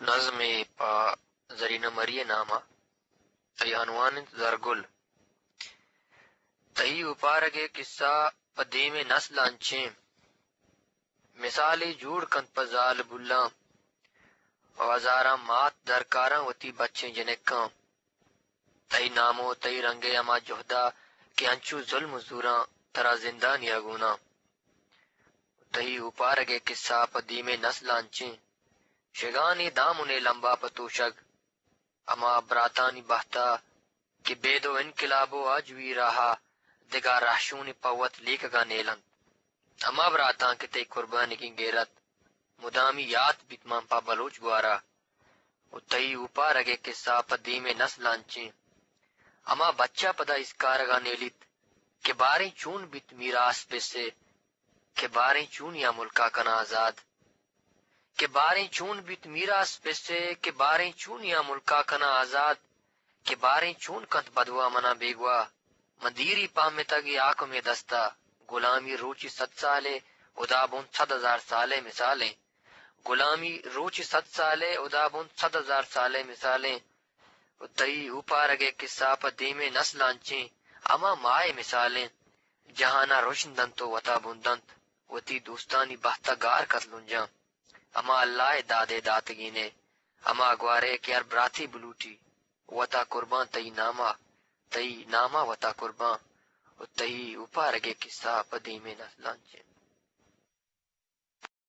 نظمے پہ زرینہ مری ءِ نام ءَ۔ تئی عنوان انت زرگل۔ تئی اوپارگ ءِ کسہ پہ دیم ءِ نسلاں چیں مثالے جوڑ کنت پہ زالبولاں، و ہزاراں مات درکاراں وتی بچیں جنکاں۔ تئی نام و تئی رنگ ءِ ہما جہد ءَ کہ انچو ظلم و زوراں ترا زندانی ءَ گوناں۔ تئی اوپارگ ءِ کسہ پہ دیم ءِ نسلاں چیں شگانی دامن ءِ لمب ءَ پہ توشگ، ہما براتانی بہت ءَ کہ بید و انقلاب و آجوئی راہ ءَ دگہ رہشونے پہ وت لیکگ ءَ نیل انت۔ ہما براتاں کہ تئی قربانگیں گیرت مدامی یات بیت مان پہ بلوچ گوار ءَ۔ و تئی اوپارگ ءِ کسہ پہ دیم ءِ نسلاں چیں ہما بچ ءَ پدا اسکارگ ءَ نیلیت کہ باریں چون بیت میراث پس ءِ، کہ باریں چون یا ملک ءَ کناں آزاد۔ کہ باریں چون بیت میراث پس ءِ، کہ باریں چون یا ملک ءَ کناں آزاد۔ کہ باریں چون کنت بدواہ منا بیگواہ۔ من دیری پہمتگ اے حاکم ءِ دست ءَ، گلامی روچے صد سال ءِ، ہدا بنت صد ہزار سال ءِ مثال ایں۔ گلامی روچے صد سال ءِ، ہدا بنت صد ہزار سال ءِ مثال ایں۔ و تئی اوپارگ ءِ کسہ پہ دیم ءِ نسلاں چیں ہما ماہ ءِ مثال ایں۔ جہان ءَ رژن دنت و وت ءَ بن دنت، وتی دوستانی بہت ءَ گار کت لنجاں۔ ہما اللہ ءِ داد ءِ داتگین ءِ ہما گوار ءِ کہ ہر براتے بلوٹی وت ءَ قربان تئی نام ءَ، تئی نام ءَ وت ءَ قربان۔ و تئی اوپارگ ءِ کسہ پہ دیم ءِ نسلاں چیں۔